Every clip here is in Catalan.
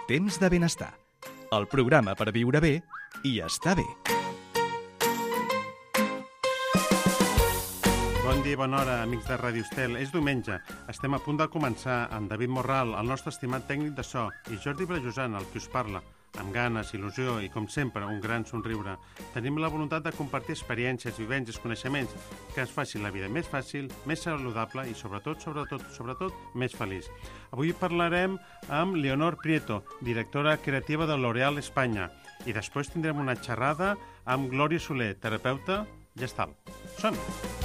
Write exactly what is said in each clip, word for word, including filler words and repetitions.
Temps de benestar, el programa per viure bé i estar bé. Bon dia i bona hora, amics de Ràdio Estel. És diumenge. Estem a punt de començar amb David Morral, el nostre estimat tècnic de so, i Jordi Brajosant, el que us parla, amb ganes, il·lusió i, com sempre, un gran somriure. Tenim la voluntat de compartir experiències, vivències, coneixements que ens facin la vida més fàcil, més saludable i, sobretot, sobretot, sobretot, més feliç. Avui parlarem amb Leonor Prieto, directora creativa de L'Oréal Espanya, i després tindrem una xerrada amb Glòria Soler, terapeuta gestal. Som-hi!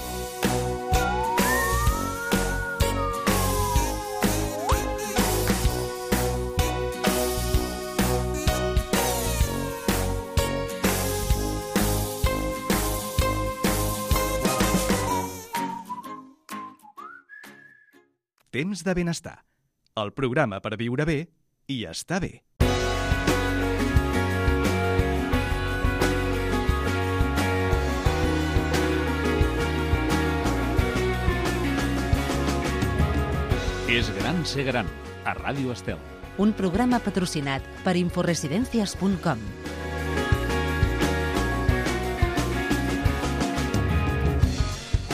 Temps de benestar, el programa per viure bé i estar bé. És gran ser gran, a Ràdio Estel. Un programa patrocinat per Inforesidencias punt com.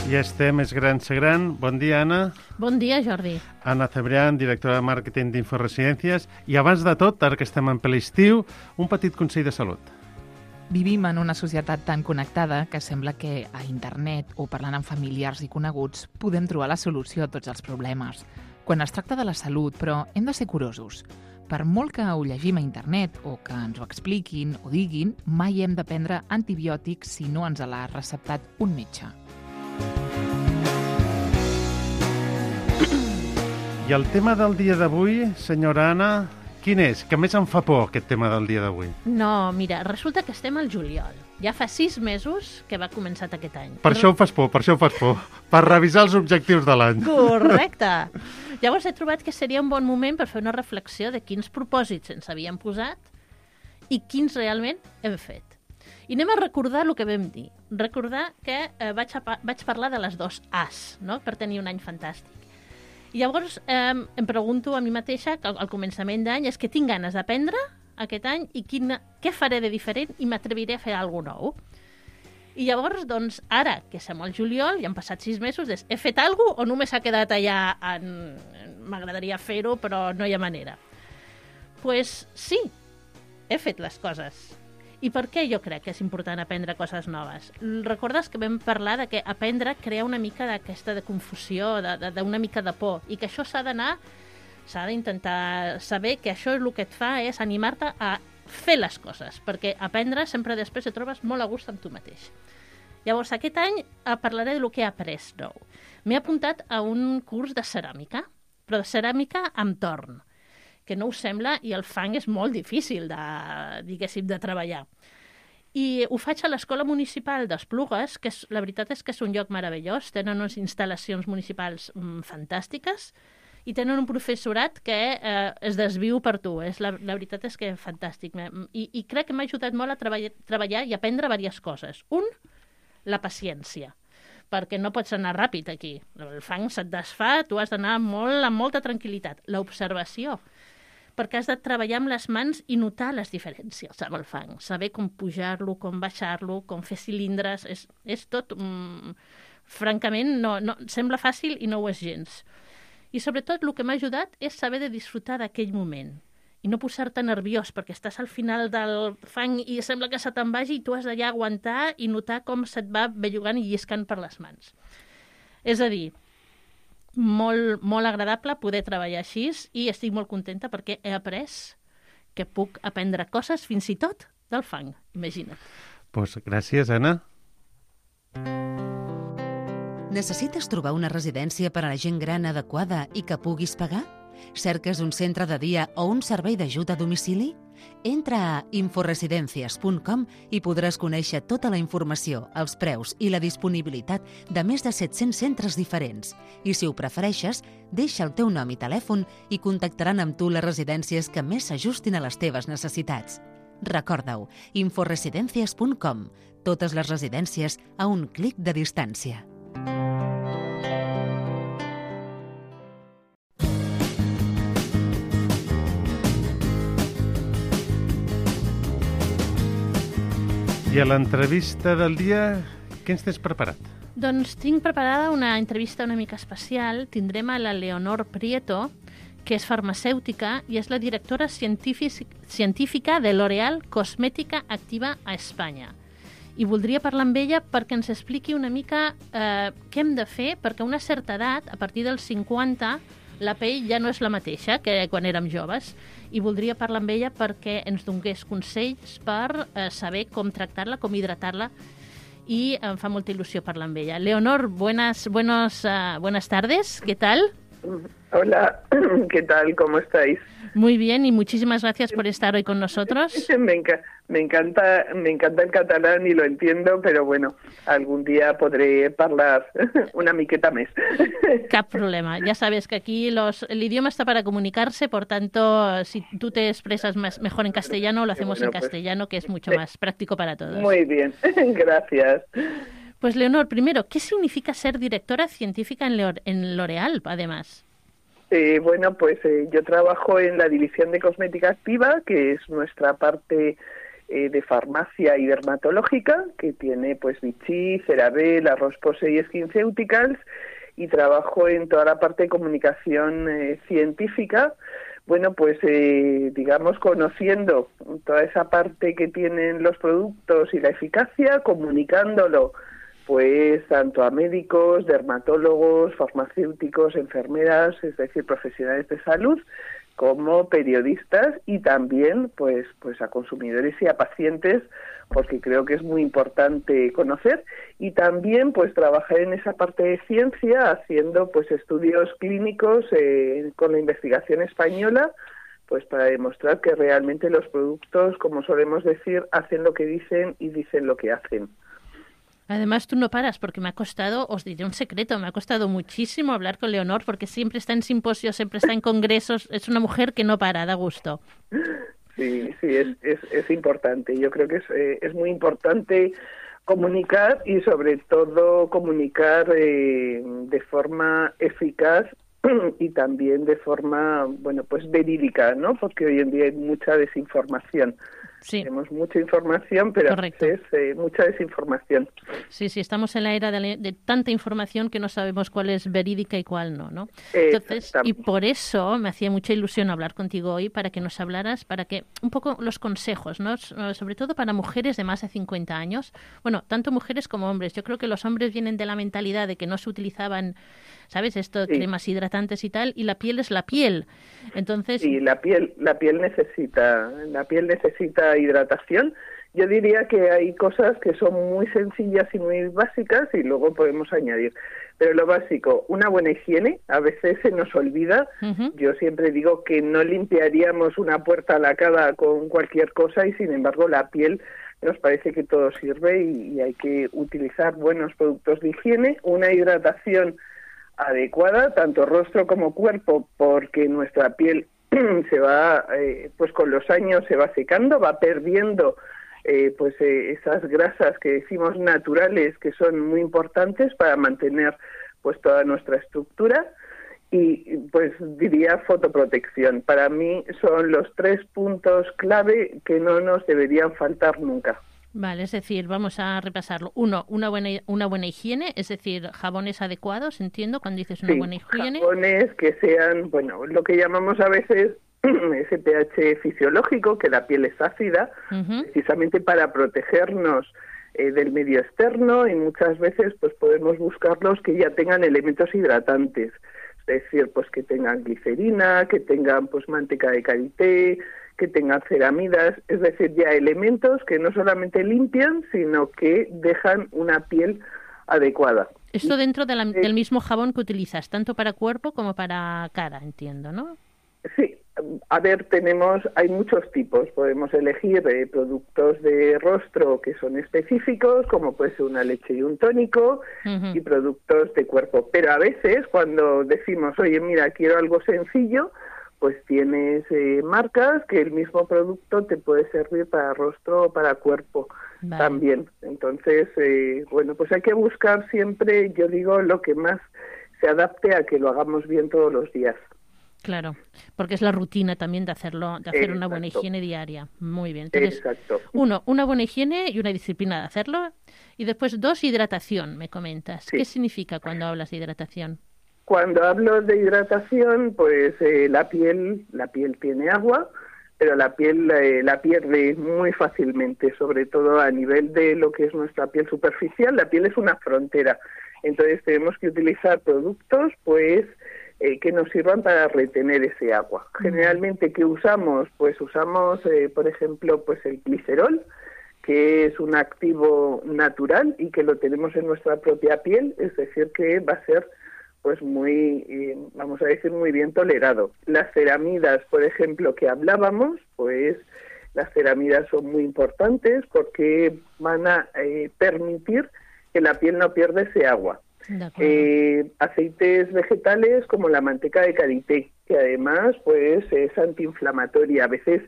Ja estem, és gran ser gran. Bon dia, Anna. Bon dia, Jordi. Anna Cebrián, directora de màrqueting d'Inforesidències. I abans de tot, ara que estem en ple estiu, un petit consell de salut. Vivim en una societat tan connectada que sembla que a internet o parlant amb familiars i coneguts podem trobar la solució a tots els problemes. Quan es tracta de la salut, però, hem de ser curosos. Per molt que ho llegim a internet o que ens ho expliquin o diguin, mai hem de prendre antibiòtics si no ens l'ha receptat un metge. I el tema del dia d'avui, senyora Anna, quin és? Que més em fa por aquest tema del dia d'avui. No, mira, resulta que estem al juliol. Ja fa sis mesos que va començar aquest any. Per això ho fas por, per això ho fas por. Per revisar els objectius de l'any. Correcte. Llavors he trobat que seria un bon moment per fer una reflexió de quins propòsits ens havíem posat i quins realment hem fet. I anem a recordar el que vam dir. Recordar que eh, vaig, a, vaig parlar de les dos As, no?, per tenir un any fantàstic. I llavors eh, em pregunto a mi mateixa, que al, al començament d'any, és que tinc ganes d'aprendre aquest any i quina, què faré de diferent i m'atreviré a fer alguna cosa nou. I llavors, doncs, ara que som al juliol, ja han passat sis mesos, és, he fet alguna cosa o només s'ha quedat allà en... m'agradaria fer-ho, però no hi ha manera? Doncs pues, sí, he fet les coses. I per què jo crec que és important aprendre coses noves? Recordes que vam parlar de que aprendre crea una mica d'aquesta de confusió, d'una mica de por, i que això s'ha d'anar, s'ha d'intentar saber que això el que et fa és animar-te a fer les coses, perquè aprendre sempre després et trobes molt a gust amb tu mateix. Llavors, aquest any parlaré del que he après nou. M'he apuntat a un curs de ceràmica, però de ceràmica amb torn, que no us sembla, i el fang és molt difícil de, diguéssim, de treballar. I ho faig a l'Escola Municipal d'Esplugues, que és, la veritat és que és un lloc meravellós, tenen unes instal·lacions municipals mm, fantàstiques i tenen un professorat que eh, es desviu per tu. És la, la veritat és que és fantàstic. I, i crec que m'ha ajudat molt a treballar, treballar i aprendre diverses coses. Un, la paciència, perquè no pots anar ràpid aquí. El fang se't desfà, tu has d'anar molt, amb molta tranquil·litat. L'observació, perquè has de treballar amb les mans i notar les diferències amb el fang. Saber com pujar-lo, com baixar-lo, com fer cilindres, és, és tot... Mm, francament, no, no, sembla fàcil i no ho és gens. I sobretot el que m'ha ajudat és saber de disfrutar d'aquell moment i no posar-te nerviós, perquè estàs al final del fang i sembla que se te'n vagi i tu has d'allà aguantar i notar com se't va bellugant i lliscant per les mans. És a dir, molt, molt agradable poder treballar així i estic molt contenta perquè he après que puc aprendre coses fins i tot del fang, imagina't. Pues gràcies, Anna. Necessites trobar una residència per a la gent gran adequada i que puguis pagar? Cerques un centre de dia o un servei d'ajuda a domicili? Entra a Inforesidencias punt com i podràs conèixer tota la informació, els preus i la disponibilitat de més de set-cents centres diferents. I si ho prefereixes, deixa el teu nom i telèfon i contactaran amb tu les residències que més s'ajustin a les teves necessitats. Recorda-ho, Inforesidencias punt com. Totes les residències a un clic de distància. I a l'entrevista del dia, què ens tens preparat? Doncs tinc preparada una entrevista una mica especial. Tindrem a la Leonor Prieto, que és farmacèutica i és la directora científic, científica de L'Oréal Cosmètica Activa a Espanya. I voldria parlar amb ella perquè ens expliqui una mica eh, què hem de fer, perquè a una certa edat, a partir dels cinquanta, la pell ja no és la mateixa que quan érem joves. I voldria parlar amb ella perquè ens donés consells per eh, saber com tractar-la, com hidratar-la, y em fa molta il·lusió parlar amb ella. Leonor, buenas, buenos, uh, buenas tardes, ¿qué tal? Hola, ¿qué tal? ¿Cómo estáis? Muy bien y muchísimas gracias por estar hoy con nosotros. Me, enca me, encanta, me encanta el catalán y lo entiendo, pero bueno, algún día podré hablar una miqueta més. Cap problema. Ya sabes que aquí los, el idioma está para comunicarse, por tanto, si tú te expresas más, mejor en castellano, lo hacemos bueno, en castellano, pues, que es mucho eh, más práctico para todos. Muy bien, gracias. Pues Leonor, primero, ¿qué significa ser directora científica en L'Oréal, además? Eh, bueno, pues eh, yo trabajo en la división de cosmética activa, que es nuestra parte eh, de farmacia y dermatológica, que tiene pues Vichy, CeraVe, La Roche-Posay y SkinCeuticals, y trabajo en toda la parte de comunicación eh, científica. Bueno, pues eh, digamos conociendo toda esa parte que tienen los productos y la eficacia, comunicándolo pues tanto a médicos, dermatólogos, farmacéuticos, enfermeras, es decir, profesionales de salud, como periodistas y también pues pues a consumidores y a pacientes, porque creo que es muy importante conocer, y también pues trabajar en esa parte de ciencia haciendo pues estudios clínicos eh, con la investigación española, pues para demostrar que realmente los productos, como solemos decir, hacen lo que dicen y dicen lo que hacen. Además, tú no paras, porque me ha costado, os diré un secreto, me ha costado muchísimo hablar con Leonor, porque siempre está en simposios, siempre está en congresos, es una mujer que no para, da gusto. Sí, sí, es, es, es importante. Yo creo que es, eh, es muy importante comunicar y sobre todo comunicar eh, de forma eficaz y también de forma, bueno, pues verídica, ¿no? Porque hoy en día hay mucha desinformación. Sí. Tenemos mucha información, pero Correcto. a veces eh, mucha desinformación. Sí, sí, estamos en la era de, de tanta información que no sabemos cuál es verídica y cuál no, ¿no? Entonces, y por eso me hacía mucha ilusión hablar contigo hoy, para que nos hablaras, para que un poco los consejos, ¿no? Sobre todo para mujeres de más de cincuenta años. Bueno, tanto mujeres como hombres. Yo creo que los hombres vienen de la mentalidad de que no se utilizaban, ¿sabes? Esto, sí. cremas hidratantes y tal, y la piel es la piel. Entonces, sí, la piel, la piel necesita, la piel necesita hidratación. Yo diría que hay cosas que son muy sencillas y muy básicas y luego podemos añadir. Pero lo básico, una buena higiene, a veces se nos olvida. Uh-huh. Yo siempre digo que no limpiaríamos una puerta lacada con cualquier cosa y sin embargo la piel nos parece que todo sirve y, y hay que utilizar buenos productos de higiene, una hidratación adecuada, tanto rostro como cuerpo, porque nuestra piel se va, eh, pues con los años se va secando, va perdiendo eh, pues eh, esas grasas que decimos naturales, que son muy importantes para mantener pues toda nuestra estructura, y pues diría fotoprotección. Para mí son los tres puntos clave que no nos deberían faltar nunca. Vale, es decir, vamos a repasarlo. Uno, una buena una buena higiene, es decir, jabones adecuados, entiendo, cuando dices una sí, buena higiene. Jabones que sean, bueno, lo que llamamos a veces ese pH fisiológico, que la piel es ácida, uh-huh. precisamente para protegernos eh, del medio externo, y muchas veces pues podemos buscarlos que ya tengan elementos hidratantes, es decir, pues que tengan glicerina, que tengan pues manteca de karité, que tengan ceramidas, es decir, ya elementos que no solamente limpian, sino que dejan una piel adecuada. Esto dentro de la, del mismo jabón que utilizas, tanto para cuerpo como para cara, entiendo, ¿no? Sí, a ver, tenemos, hay muchos tipos, podemos elegir eh, productos de rostro que son específicos, como puede ser una leche y un tónico, uh-huh. y productos de cuerpo, pero a veces cuando decimos, oye, mira, quiero algo sencillo, pues tienes eh, marcas que el mismo producto te puede servir para rostro o para cuerpo vale. También. Entonces, eh, bueno, pues hay que buscar siempre, yo digo, lo que más se adapte a que lo hagamos bien todos los días. Claro, porque es la rutina también de hacerlo, de hacer Exacto. una buena higiene diaria. Muy bien. Entonces, Exacto. uno, una buena higiene y una disciplina de hacerlo. Y después, dos, hidratación, me comentas. Sí. ¿Qué significa cuando hablas de hidratación? Cuando hablo de hidratación, pues eh, la piel, la piel tiene agua, pero la piel eh, la pierde muy fácilmente, sobre todo a nivel de lo que es nuestra piel superficial. La piel es una frontera, entonces tenemos que utilizar productos, pues, eh, que nos sirvan para retener ese agua. Generalmente, ¿qué usamos? Pues usamos, eh, por ejemplo, pues el glicerol, que es un activo natural y que lo tenemos en nuestra propia piel, es decir, que va a ser pues muy, eh, vamos a decir, muy bien tolerado. Las ceramidas, por ejemplo, que hablábamos, pues las ceramidas son muy importantes porque van a eh, permitir que la piel no pierda ese agua. Eh, aceites vegetales como la manteca de karité, que además pues es antiinflamatoria. A veces,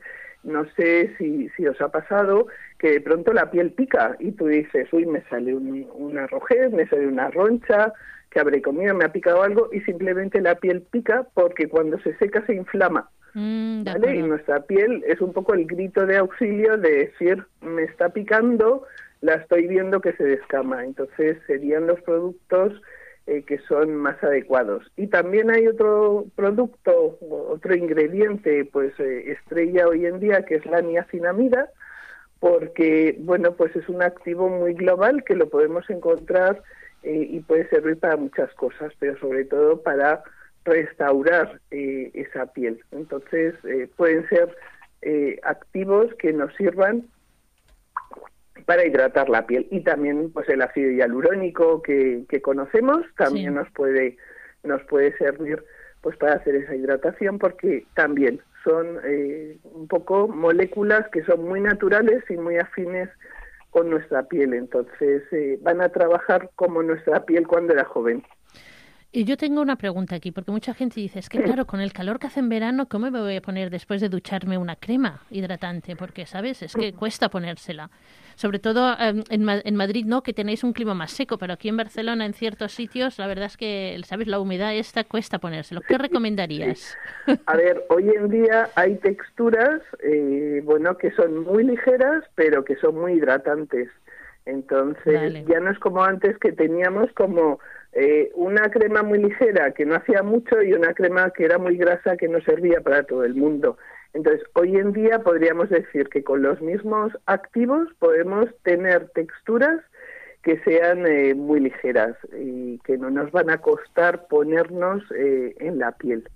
no sé si, si os ha pasado, que de pronto la piel pica y tú dices, uy, me sale un, una rojez, me sale una roncha, que habré comido, me ha picado algo, y simplemente la piel pica porque cuando se seca se inflama. Mm, ¿Vale? Y nuestra piel es un poco el grito de auxilio de decir, me está picando, la estoy viendo que se descama. Entonces serían los productos eh, que son más adecuados. Y también hay otro producto, otro ingrediente, pues eh, estrella hoy en día, que es la niacinamida, porque, bueno, pues es un activo muy global que lo podemos encontrar eh, y puede servir para muchas cosas, pero sobre todo para restaurar eh, esa piel. Entonces, eh, pueden ser eh, activos que nos sirvan para hidratar la piel. Y también, pues, el ácido hialurónico que, que conocemos también sí. nos puede nos puede servir, pues, para hacer esa hidratación, porque también son eh, un poco moléculas que son muy naturales y muy afines con nuestra piel. Entonces, eh, van a trabajar como nuestra piel cuando era joven. Y yo tengo una pregunta aquí, porque mucha gente dice, es que claro, con el calor que hace en verano, ¿cómo me voy a poner después de ducharme una crema hidratante? Porque, ¿sabes? Es que cuesta ponérsela. Sobre todo eh, en, en Madrid, ¿no? Que tenéis un clima más seco, pero aquí en Barcelona, en ciertos sitios, la verdad es que, ¿sabes? La humedad esta cuesta ponérselo. ¿Qué recomendarías? A ver, hoy en día hay texturas, eh, bueno, que son muy ligeras, pero que son muy hidratantes. Entonces, vale. Ya no es como antes, que teníamos como eh, una crema muy ligera que no hacía mucho y una crema que era muy grasa que no servía para todo el mundo. Entonces, hoy en día podríamos decir que con los mismos activos podemos tener texturas que sean eh, muy ligeras y que no nos van a costar ponernos eh, en la piel,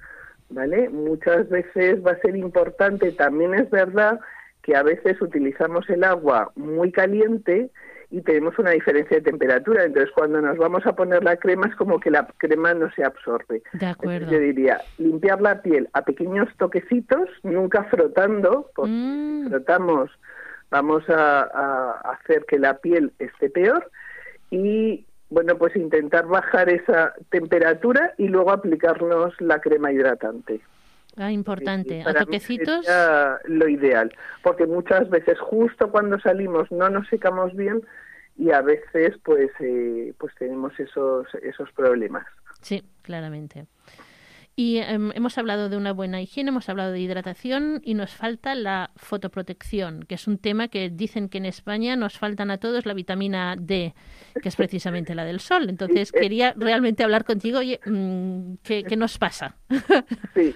¿vale? Muchas veces va a ser importante, también es verdad que a veces utilizamos el agua muy caliente y tenemos una diferencia de temperatura, entonces cuando nos vamos a poner la crema es como que la crema no se absorbe. De acuerdo. Entonces, yo diría, limpiar la piel a pequeños toquecitos, nunca frotando, porque mm. si frotamos vamos a, a hacer que la piel esté peor, y bueno, pues intentar bajar esa temperatura y luego aplicarnos la crema hidratante. Ah, importante. Para a toquecitos. Mí lo ideal, porque muchas veces justo cuando salimos no nos secamos bien y a veces pues eh, pues tenemos esos esos problemas. Sí, claramente. Y eh, hemos hablado de una buena higiene, hemos hablado de hidratación y nos falta la fotoprotección, que es un tema que dicen que en España nos faltan a todos la vitamina D, que es precisamente la del sol. Entonces quería realmente hablar contigo, oye, ¿qué, qué nos pasa? Sí.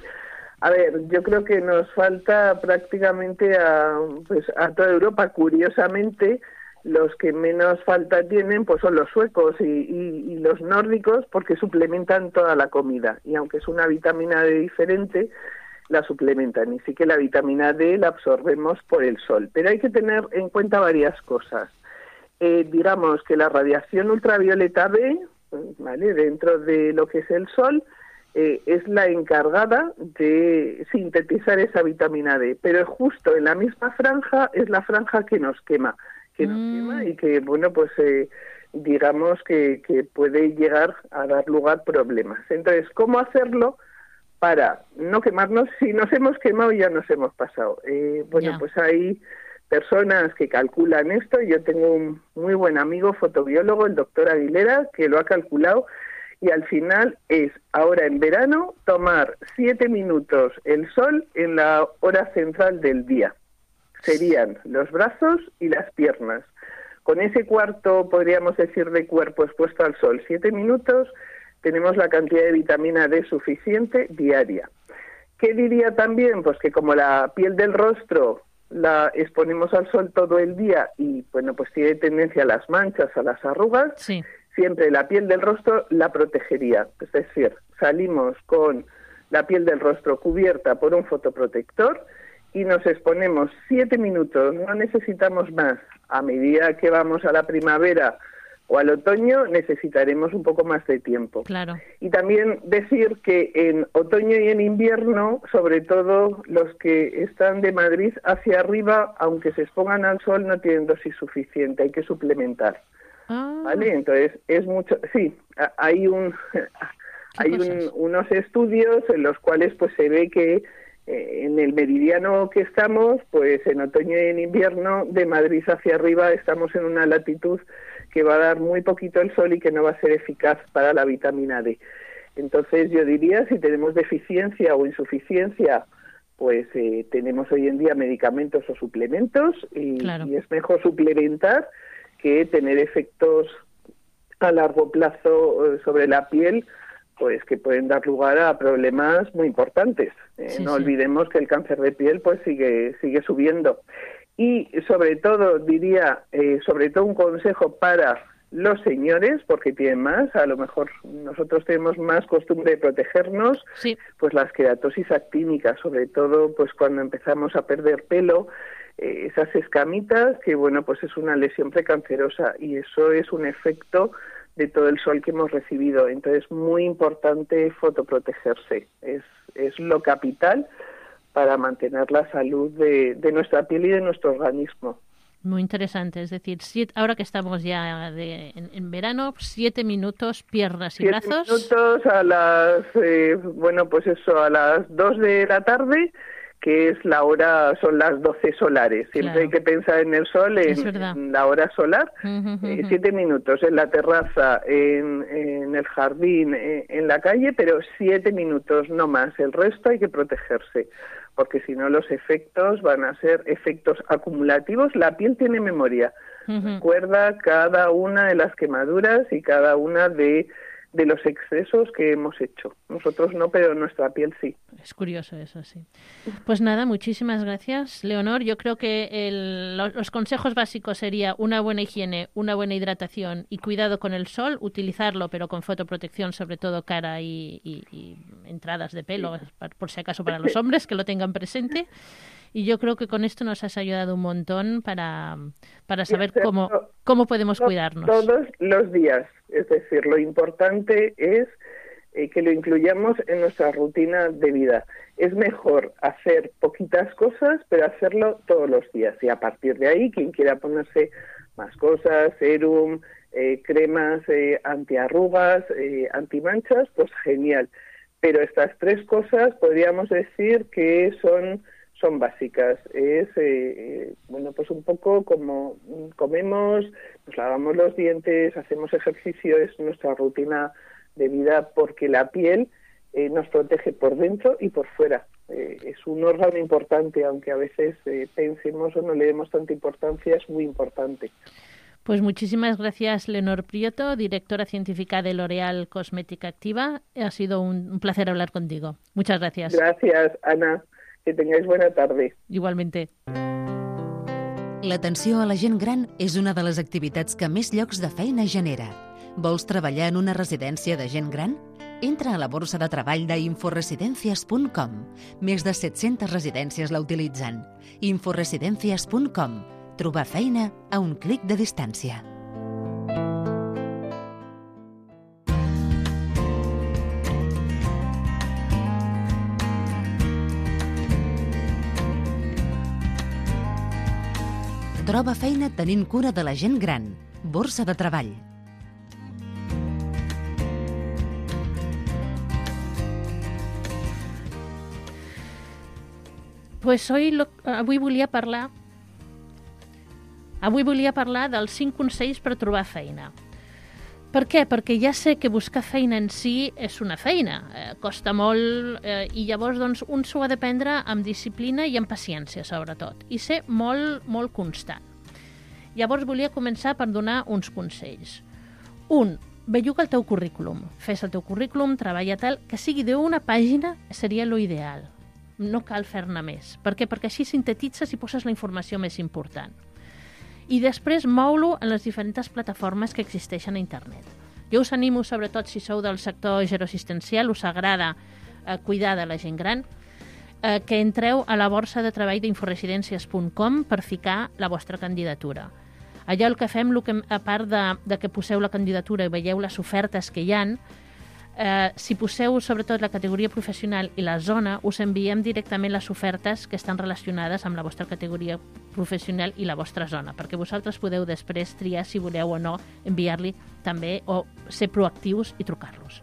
A ver, yo creo que nos falta prácticamente a, pues, a toda Europa. Curiosamente, los que menos falta tienen pues son los suecos y, y, y los nórdicos, porque suplementan toda la comida. Y aunque es una vitamina D diferente, la suplementan. Y sí que la vitamina D la absorbemos por el sol. Pero hay que tener en cuenta varias cosas. Eh, digamos que la radiación ultravioleta B, ¿vale?, dentro de lo que es el sol, Eh, es la encargada de sintetizar esa vitamina D, pero justo en la misma franja es la franja que nos quema, que nos mm. quema y que, bueno, pues eh, digamos que, que puede llegar a dar lugar a problemas. Entonces, ¿cómo hacerlo para no quemarnos? Si nos hemos quemado ya nos hemos pasado. Eh, bueno, yeah. pues hay personas que calculan esto. Yo tengo un muy buen amigo fotobiólogo, el doctor Aguilera, que lo ha calculado. Y al final es, ahora en verano, tomar siete minutos el sol en la hora central del día. Serían los brazos y las piernas. Con ese cuarto, podríamos decir, de cuerpo expuesto al sol, siete minutos, tenemos la cantidad de vitamina D suficiente diaria. ¿Qué diría también? Pues que como la piel del rostro la exponemos al sol todo el día y, bueno, pues tiene tendencia a las manchas, a las arrugas, Sí. siempre la piel del rostro la protegería. Es decir, salimos con la piel del rostro cubierta por un fotoprotector y nos exponemos siete minutos, no necesitamos más. A medida que vamos a la primavera o al otoño necesitaremos un poco más de tiempo. Claro. Y también decir que en otoño y en invierno, sobre todo los que están de Madrid hacia arriba, aunque se expongan al sol, no tienen dosis suficiente, hay que suplementar. Ah, ¿Vale? Entonces, es mucho... Sí, a- hay un... hay un- cosas? unos estudios en los cuales pues se ve que eh, en el meridiano que estamos, pues en otoño y en invierno, de Madrid hacia arriba, estamos en una latitud que va a dar muy poquito el sol y que no va a ser eficaz para la vitamina D. Entonces, yo diría, si tenemos deficiencia o insuficiencia, pues eh, tenemos hoy en día medicamentos o suplementos y, Claro. y es mejor suplementar que tener efectos a largo plazo eh, sobre la piel, pues que pueden dar lugar a problemas muy importantes. Eh, Sí, no sí. olvidemos que el cáncer de piel pues sigue sigue subiendo. Y sobre todo diría, eh, sobre todo un consejo para los señores, porque tienen más, a lo mejor nosotros tenemos más costumbre de protegernos, sí. pues las queratosis actínicas, sobre todo pues cuando empezamos a perder pelo, eh, esas escamitas, que bueno, pues es una lesión precancerosa y eso es un efecto de todo el sol que hemos recibido. Entonces, muy importante fotoprotegerse, es, es lo capital para mantener la salud de, de nuestra piel y de nuestro organismo. Muy interesante. Es decir, siete, ahora que estamos ya de, en, en verano, siete minutos, piernas y Siete brazos. minutos a las, eh, bueno, pues eso, a las dos de la tarde, que es la hora, son las doce solares. Siempre Claro. hay que pensar en el sol, Es en, verdad. en la hora solar. Ujú, ujú, Eh, ujú. siete minutos en la terraza, en, en el jardín, eh, en la calle, pero siete minutos, no más. El resto hay que protegerse, porque si no los efectos van a ser efectos acumulativos. La piel tiene memoria. Ujú. Recuerda cada una de las quemaduras y cada una de, de los excesos que hemos hecho. Nosotros no, pero nuestra piel sí. Es curioso eso, sí. Pues nada, muchísimas gracias, Leonor. Yo creo que el- lo- los consejos básicos sería una buena higiene, una buena hidratación y cuidado con el sol, utilizarlo, pero con fotoprotección, sobre todo cara y, y- y entradas de pelo, por por si acaso para los hombres, que lo tengan presente. Y yo creo que con esto nos has ayudado un montón para, para saber hacerlo cómo, cómo podemos To- cuidarnos. Todos los días. Es decir, lo importante es eh, que lo incluyamos en nuestra rutina de vida. Es mejor hacer poquitas cosas, pero hacerlo todos los días. Y a partir de ahí, quien quiera ponerse más cosas, serum, eh, cremas eh, antiarrugas, eh, antimanchas, pues genial. Pero estas tres cosas podríamos decir que son son básicas. Es, eh, eh, bueno, pues un poco como comemos, nos lavamos los dientes, hacemos ejercicio, es nuestra rutina de vida, porque la piel eh, nos protege por dentro y por fuera. Eh, es un órgano importante, aunque a veces eh, pensemos o no le demos tanta importancia, es muy importante. Pues muchísimas gracias, Leonor Prieto, directora científica de L'Oréal Cosmética Activa. Ha sido un, un placer hablar contigo. Muchas gracias. Gracias, Ana. Que tengáis buena tarde. Igualmente. L'atenció a la gent gran és una de les activitats que més llocs de feina genera. Vols treballar en una residència de gent gran? Entra a la borsa de treball d'inforesidencias punt com. Més de set-centes residències la utilitzen. inforesidencias punt com. Trobar feina a un clic de distància. Troba feina tenint cura de la gent gran. Borsa de treball. Pues hoy lo, avui volia parlar avui volia parlar dels cinc consells per trobar feina. Per què? Perquè ja sé que buscar feina en si és una feina, eh, costa molt, eh, i llavors doncs, un s'ho ha de prendre amb disciplina i amb paciència, sobretot, i ser molt, molt constant. Llavors volia començar per donar uns consells. Un, belluga el teu currículum. Fes el teu currículum, treballa tal, que sigui d'una pàgina seria lo ideal. No cal fer-ne més. Per què? Perquè així sintetitzes i poses la informació més important. I després mou-lo en les diferents plataformes que existeixen a internet. Jo us animo, sobretot si sou del sector geroassistencial, us agrada eh, cuidar de la gent gran, eh, que entreu a la borsa de treball d'inforesidències punt com per ficar la vostra candidatura. Allà el que fem, el que, a part de, de que poseu la candidatura i veieu les ofertes que hi ha, eh, si poseu sobretot la categoria professional i la zona, us enviem directament les ofertes que estan relacionades amb la vostra categoria professional i la vostra zona, perquè vosaltres podeu després triar si voleu o no enviar-li també o ser proactius i trucar-los.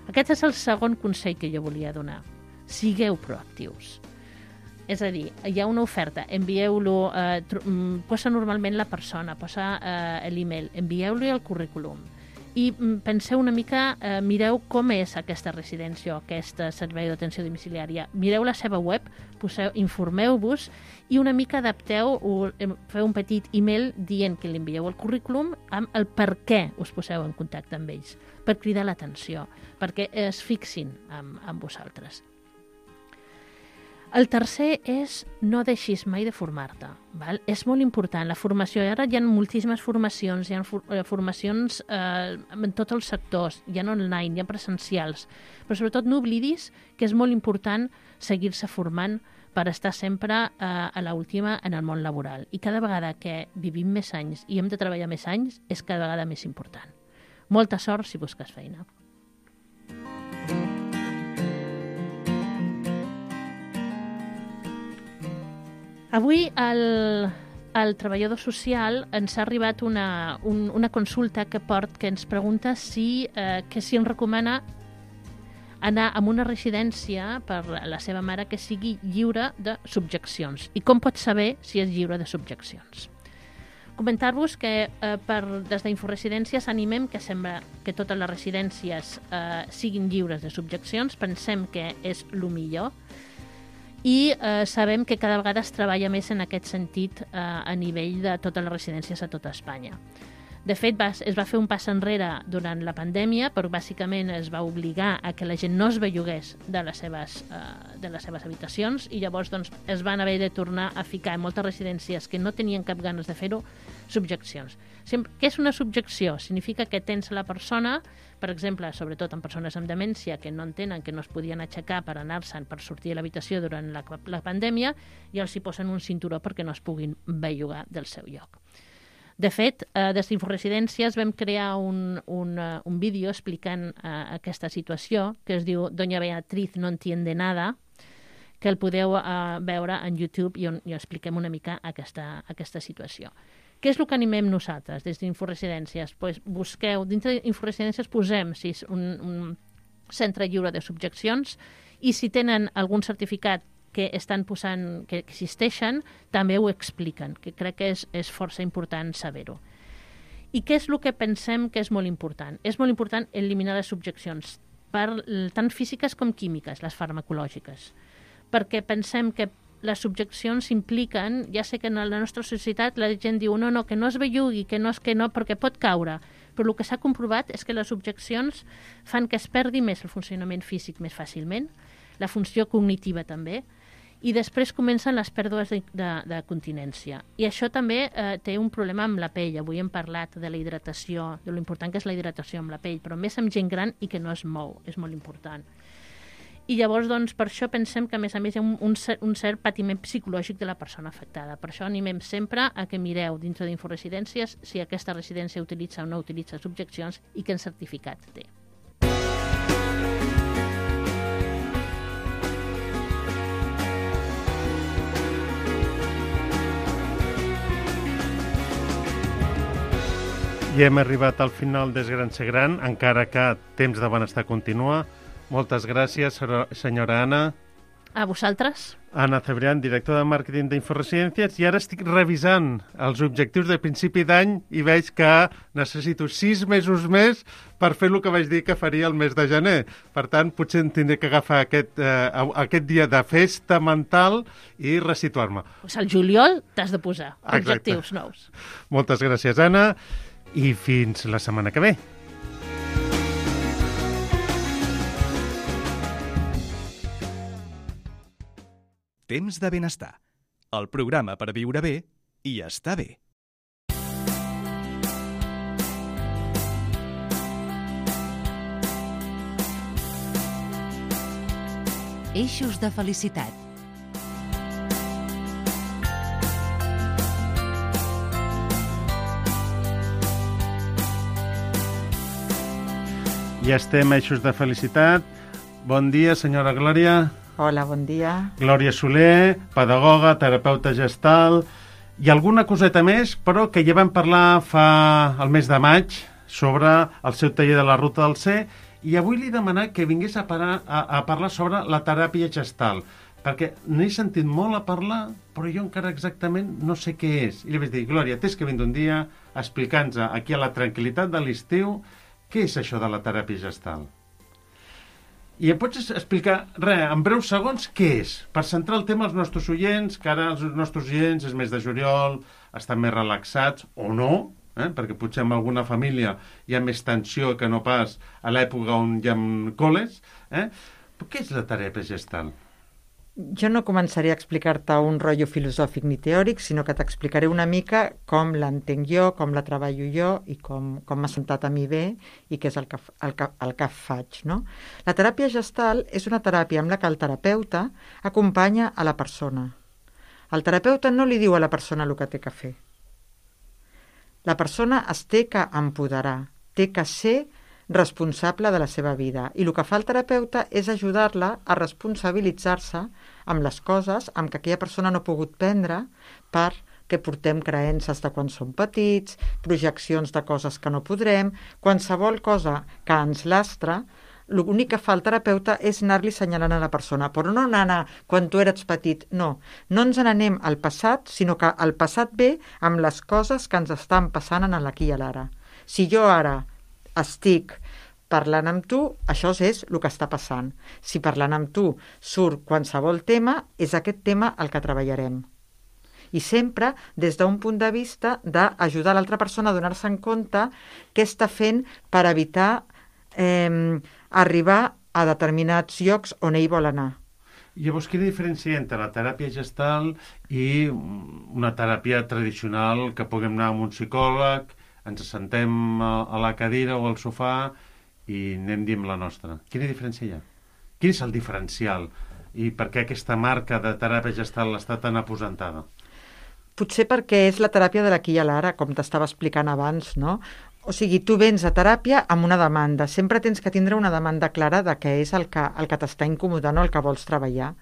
Aquest és el segon consell que jo volia donar. Sigueu proactius. És a dir, hi ha una oferta, envieu-lo, eh, posa normalment la persona, posa eh, l'email, envieu-li el currículum i penseu una mica, eh, mireu com és aquesta residència o aquest servei d'atenció domiciliària. Mireu la seva web, poseu, informeu-vos i una mica adapteu, o feu un petit email dient que li envieu el currículum amb el per què us poseu en contacte amb ells, per cridar l'atenció, perquè es fixin amb, amb vosaltres. El tercer és no deixis mai de formar-te. Val? És molt important. La formació, ara hi ha moltíssimes formacions, hi ha formacions eh, en tots els sectors, hi ha online, hi ha presencials, però sobretot no oblidis que és molt important seguir-se formant per estar sempre eh, a l'última en el món laboral. I cada vegada que vivim més anys i hem de treballar més anys és cada vegada més important. Molta sort si busques feina. Avui el, el treballador social ens ha arribat una, un, una consulta que port que ens pregunta si, eh, que si ens recomana anar a una residència per la seva mare que sigui lliure de subjeccions. I com pot saber si és lliure de subjeccions? Comentar-vos que eh, per, des d'Inforesidències animem que sembla que totes les residències eh, siguin lliures de subjeccions, pensem que és el millor, i eh, sabem que cada vegada es treballa més en aquest sentit eh, a nivell de totes les residències a tota Espanya. De fet, va, es va fer un pas enrere durant la pandèmia, però bàsicament es va obligar a que la gent no es bellugués de les seves, eh, de les seves habitacions i llavors doncs, es van haver de tornar a ficar en moltes residències que no tenien cap ganes de fer-ho, subjeccions. Sempre, què és una subjecció? Significa que tens la persona, per exemple, sobretot en persones amb demència que no entenen que no es podien aixecar per anar-se'n, per sortir a l'habitació durant la, la pandèmia, i els hi posen un cinturó perquè no es puguin bellugar del seu lloc. De fet, eh, des d'Inforesidències vam crear un, un, uh, un vídeo explicant uh, aquesta situació, que es diu Doña Beatriz no entiende nada, que el podeu uh, veure en YouTube i on i expliquem una mica aquesta, aquesta situació. Què és el que animem nosaltres des d'Inforesidències? Pues busqueu, dintre d'Inforesidències posem si és un, un centre lliure de subjeccions i si tenen algun certificat que estan posant, que existeixen, també ho expliquen, que crec que és, és força important saber-ho. I què és el que pensem que és molt important? És molt important eliminar les subjeccions, per, tant físiques com químiques, les farmacològiques, perquè pensem que les subjeccions impliquen, ja sé que en la nostra societat la gent diu no, no, que no es bellugui, que no és que no, perquè pot caure, però el que s'ha comprovat és que les subjeccions fan que es perdi més el funcionament físic més fàcilment, la funció cognitiva també, i després comencen les pèrdues de, de, de continència. I això també eh, té un problema amb la pell. Avui hem parlat de la hidratació, de lo important que és la hidratació amb la pell, però més amb gent gran i que no es mou, és molt important. I llavors, doncs, per això pensem que, a més a més, hi ha un, un, cert, un cert patiment psicològic de la persona afectada. Per això animem sempre a que mireu dintre d'Inforesidències si aquesta residència utilitza o no utilitza subjeccions i quin certificat té. I hem arribat al final des Gran Ser Gran, encara que Temps de Benestar continua. Moltes gràcies, senyora Anna. A vosaltres. Anna Cebrián, director de màrqueting d'Inforesidències, i ara estic revisant els objectius de principi d'any i veig que necessito sis mesos més per fer el que vaig dir que faria el mes de gener. Per tant, potser em tindré que agafar aquest, eh, aquest dia de festa mental i resituar-me. Pues al juliol t'has de posar Exacte. objectius nous. Moltes gràcies, Anna, i fins la setmana que ve. Temps de benestar. El programa per viure bé i estar bé. Eixos de felicitat. Ja estem a Eixos de Felicitat. Bon dia, senyora Glòria. Hola, bon dia. Glòria Soler, pedagoga, terapeuta gestal i alguna coseta més, però que ja vam parlar fa el mes de maig sobre el seu taller de la Ruta del C, i avui li he demanat que vingués a, parar, a, a parlar sobre la teràpia gestal, perquè n'he sentit molt a parlar, però jo encara exactament no sé què és. I li vaig dir, Glòria, tens que vindre un dia a explicar-nos aquí a la tranquil·litat de l'estiu què és això de la teràpia gestal. I em pots explicar, res, en breus segons, què és? Per centrar el tema als nostres oients, que ara els nostres oients és mes de juliol, estan més relaxats, o no, eh? Perquè potser en alguna família hi ha més tensió que no pas a l'època on hi ha col·les. Eh? Però què és la teràpia gestal? Jo no començaré a explicar-te un rotllo filosòfic ni teòric, sinó que t'explicaré una mica com l'entenc jo, com la treballo jo i com, com m'ha sentat a mi bé i què és el que, el que, el que faig. No? La teràpia gestal és una teràpia amb la que el terapeuta acompanya a la persona. El terapeuta no li diu a la persona el que té que fer. La persona es té que empoderar, té que ser responsable de la seva vida. I el que fa el terapeuta és ajudar-la a responsabilitzar-se amb les coses amb què aquella persona no ha pogut prendre perquè portem creences de quan som petits, projeccions de coses que no podrem, qualsevol cosa que ens lastra. L'únic que fa el terapeuta és anar-li assenyalant a la persona, però no anar quan tu eres petit, no. No ens n'anem al passat, sinó que el passat ve amb les coses que ens estan passant en l'aquí i a l'ara. Si jo ara estic parlant amb tu, això és el que està passant. Si parlant amb tu surt qualsevol tema, és aquest tema el que treballarem. I sempre des d'un punt de vista d'ajudar l'altra persona a donar-se en compte què està fent per evitar eh, arribar a determinats llocs on ell vol anar. Llavors, quina diferència hi ha entre la teràpia gestal i una teràpia tradicional que puguem anar amb un psicòleg, ens sentem a la cadira o al sofà i anem dient la nostra? Quina diferència hi ha? Quin és el diferencial? I per què aquesta marca de teràpia gestal està tan aposentada? Potser perquè és la teràpia de l'aquí i a l'ara, com t'estava explicant abans, no? O sigui, tu vens a teràpia amb una demanda. Sempre tens que tindre una demanda clara de què és el que, el que t'està incomodant o el que vols treballar.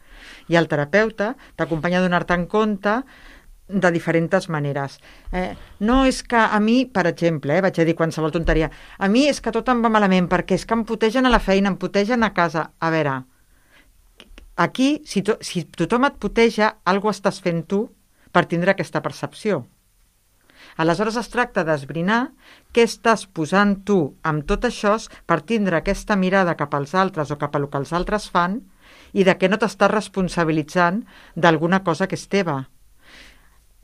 I el terapeuta t'acompanya a donar-te en compte de diferents maneres. Eh, no és que a mi, per exemple, eh, vaig a dir qualsevol tonteria, a mi és que tot em va malament perquè és que em putegen a la feina, em putegen a casa. A veure, aquí, si, to, si tothom et puteja, alguna cosa estàs fent tu per tindre aquesta percepció. Aleshores es tracta d'esbrinar què estàs posant tu amb tot això per tindre aquesta mirada cap als altres o cap a el que els altres fan i de què no t'estàs responsabilitzant d'alguna cosa que és teva.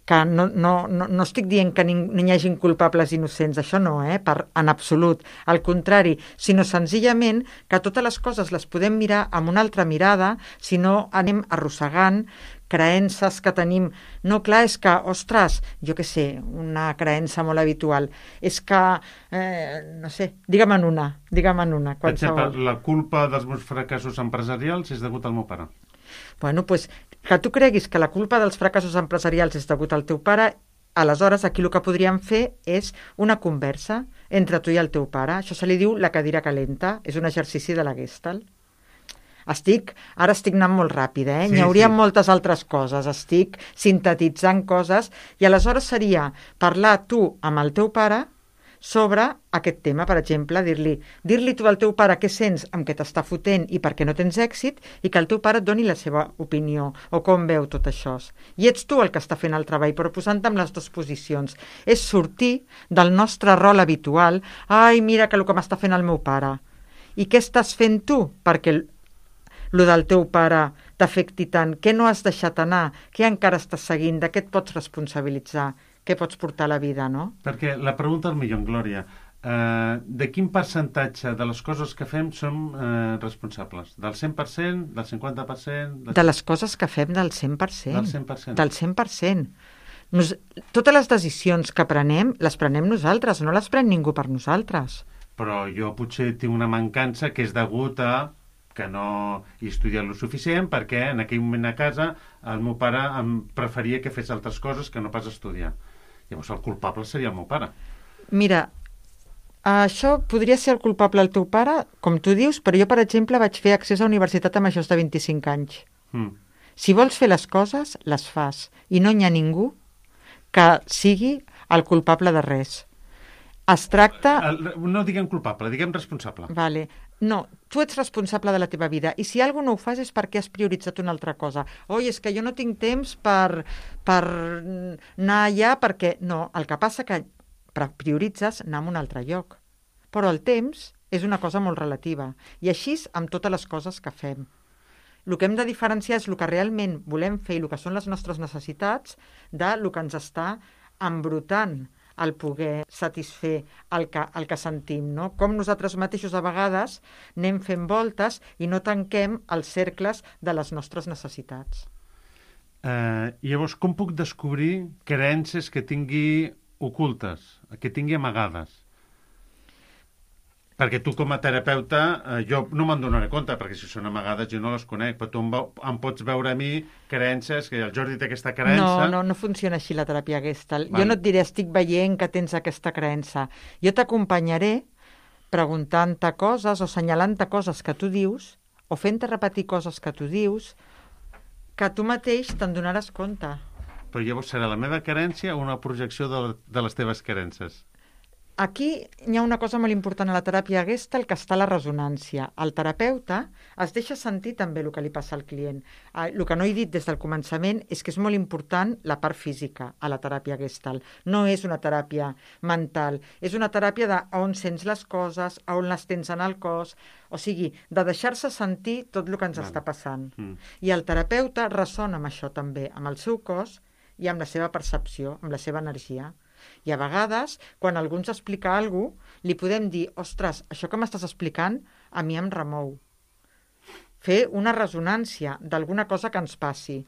Que no, no, no, no estic dient que ni, ni hi hagi culpables innocents, això no, eh? Per, en absolut. Al contrari, sinó senzillament que totes les coses les podem mirar amb una altra mirada, si no anem arrossegant creences que tenim. No, clar, és que, ostres, jo què sé, una creença molt habitual, és que, eh, no sé, digue'm en una, digue'm en una, qualsevol. Per exemple, la culpa dels meus fracassos empresarials és degut al meu pare. Bueno, doncs, que tu creguis que la culpa dels fracassos empresarials és degut al teu pare, aleshores aquí el que podríem fer és una conversa entre tu i el teu pare. Això se li diu la cadira calenta, és un exercici de la Gestalt. Estic, ara estic anant molt ràpid, eh? Sí, N'hi hauria sí. moltes altres coses, estic sintetitzant coses, i aleshores seria parlar tu amb el teu pare sobre aquest tema, per exemple, dir-li dir-li tu al teu pare què sents amb què t'està fotent i per què no tens èxit i que el teu pare et doni la seva opinió o com veu tot això. I ets tu el que està fent el treball, però posant-te en les dues posicions. És sortir del nostre rol habitual. Ai, mira que el que m'està fent el meu pare. I què estàs fent tu perquè el del teu pare t'afecti tant? Què no has deixat anar? Què encara estàs seguint? De què et pots responsabilitzar? Què pots portar a la vida, no? Perquè la pregunta al millor, Glòria, eh, de quin percentatge de les coses que fem som eh, responsables? Del cent per cent? Del cinquanta per cent? Del... De les coses que fem del cent per cent. Del cent per cent. Del cent per cent. Nos... Totes les decisions que prenem, les prenem nosaltres, no les pren ningú per nosaltres. Però jo potser tinc una mancança que és degut a que no he estudiat lo suficient perquè en aquell moment a casa el meu pare em preferia que fes altres coses que no pas estudiar. Llavors el culpable seria el meu pare. Mira, això podria ser el culpable el teu pare, com tu dius, però jo, per exemple, vaig fer accés a universitat a majors de vint-i-cinc anys. Mm. Si vols fer les coses, les fas. I no hi ha ningú que sigui el culpable de res. Es tracta... El, no diguem culpable, diguem responsable. Vale. No, tu ets responsable de la teva vida i si alguna no ho fas és perquè has prioritzat una altra cosa. Oi, és que jo no tinc temps per, per anar allà perquè... No, el que passa que prioritzes anar a un altre lloc. Però el temps és una cosa molt relativa i així amb totes les coses que fem. El que hem de diferenciar és el que realment volem fer i el que són les nostres necessitats de el que ens està embrutant el poder satisfer el que, el que sentim, no? Com nosaltres mateixos a vegades anem fent voltes i no tanquem els cercles de les nostres necessitats. Eh, llavors, com puc descobrir creences que tingui ocultes, que tingui amagades? Perquè tu com a terapeuta, eh, jo no me'n donaré compte, perquè si són amagades jo no les conec, però tu em, veu, em pots veure a mi creences, que el Jordi té aquesta creença... No, no, no funciona així la teràpia Gestalt. Vale. Jo no et diré, estic veient que tens aquesta creença. Jo t'acompanyaré preguntant-te coses o assenyalant-te coses que tu dius o fent-te repetir coses que tu dius que tu mateix te'n donaràs compte. Però llavors serà la meva creença o una projecció de, de les teves creences? Aquí hi ha una cosa molt important a la teràpia Gestalt, que està la resonància. El terapeuta es deixa sentir també el que li passa al client. El que no he dit des del començament és que és molt important la part física a la teràpia Gestalt. No és una teràpia mental, és una teràpia de on sents les coses, on les tens en el cos, o sigui, de deixar-se sentir tot el que ens Val. està passant. Mm. I el terapeuta ressona amb això també, amb el seu cos i amb la seva percepció, amb la seva energia. I a vegades, quan algú ens explica alguna cosa, li podem dir, ostres, això que m'estàs explicant a mi em remou. Fer una resonància d'alguna cosa que ens passi,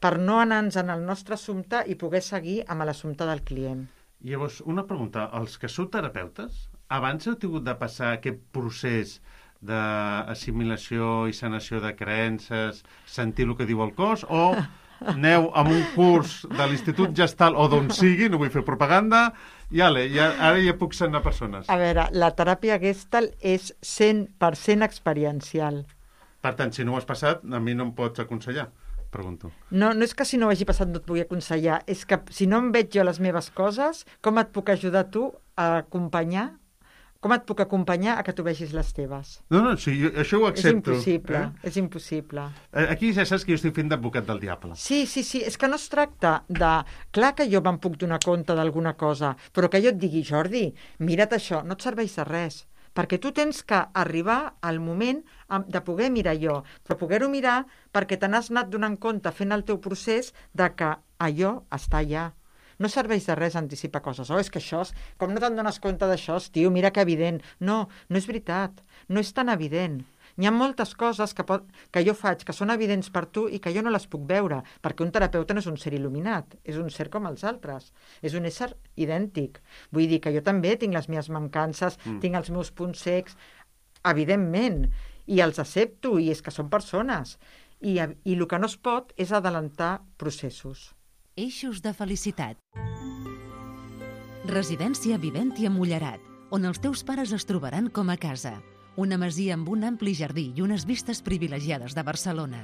per no anar-nos en el nostre assumpte i poder seguir amb l'assumpte del client. Llavors, una pregunta, els que sou terapeutes, abans heu tingut de passar aquest procés d'assimilació i sanació de creences, sentir el que diu el cos, o... aneu amb un curs de l'Institut Gestalt o d'on sigui, no vull fer propaganda, i ale, ja, ara ja puc sanar persones. A veure, la teràpia Gestalt és cent per cent experiencial. Per tant, si no ho has passat, a mi no em pots aconsellar, pregunto. No, no és que si no ho hagi passat no et pugui aconsellar, és que si no em veig jo les meves coses, com et puc ajudar tu a acompanyar Com et puc acompanyar a que tu vegis les teves? No, no, sí, jo, això ho accepto. És impossible, eh? és impossible. Aquí ja saps que jo estic fent d'advocat del diable. Sí, sí, sí, és que no es tracta de... Clar que jo me'n puc donar compte d'alguna cosa, però que jo et digui, Jordi, mira't això, no et serveix de res, perquè tu tens que arribar al moment de poder mirar allò, però poder-ho mirar perquè te n'has anat donant compte fent el teu procés de que allò està allà. No serveix de res anticipar coses. Oh, és que això, com no te'n dones compte d'això, tio, mira que evident. No, no és veritat. No és tan evident. Hi ha moltes coses que, pot, que jo faig que són evidents per tu i que jo no les puc veure, perquè un terapeuta no és un ser il·luminat, és un ser com els altres. És un ésser idèntic. Vull dir que jo també tinc les meves mancances, mm. tinc els meus punts cecs, evidentment, i els accepto, i és que són persones. I, i el que no es pot és adelantar processos. Eixos de felicitat. Residència Viventi a Mullerat, on els teus pares es trobaran com a casa. Una masia amb un ampli jardí i unes vistes privilegiades de Barcelona.